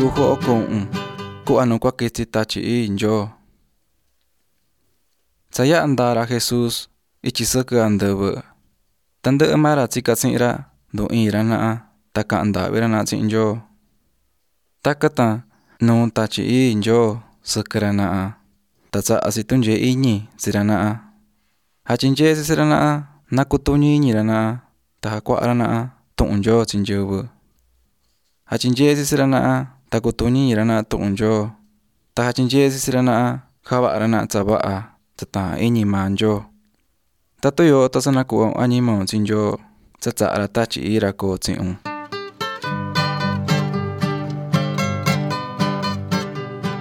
11 ku'va nu kuakitsi Tatyi Ii Ndyoo. Tsa ya'a ndaa ra Jesús ityi sɨkɨ andɨvɨ, tandɨ'ɨ maa ra tsika tsi'in ra ndu iin ra naha tan kaha̱n ndahvi ra naha tsi'in Nyoo. Takan tan nuu̱ Tatyi Ii Nyoo sɨkɨ ra naha tan tsaha̱ tsi tundyee iñi tsi ra naha. Jatyinyee̱ tsi tsi ra naha na kutuñi iñi ra naha tan jacuaha ra naha tuhun Nyoo tsi nyɨvɨ. Jatyinyee̱ tsi tsi ra naha tan cutuñi iñi ra naha tuhun Nyoo. Tan jatyinyee̱ tsi tsi ra naha javaha ra naha tsa vaha tsa taahán iñi maa Nyoo. Tatun yooho tan sa nacuhva un añimaun tsi Nyoo tsa tsaha ra Tatyi Ii ra koo tsihin un.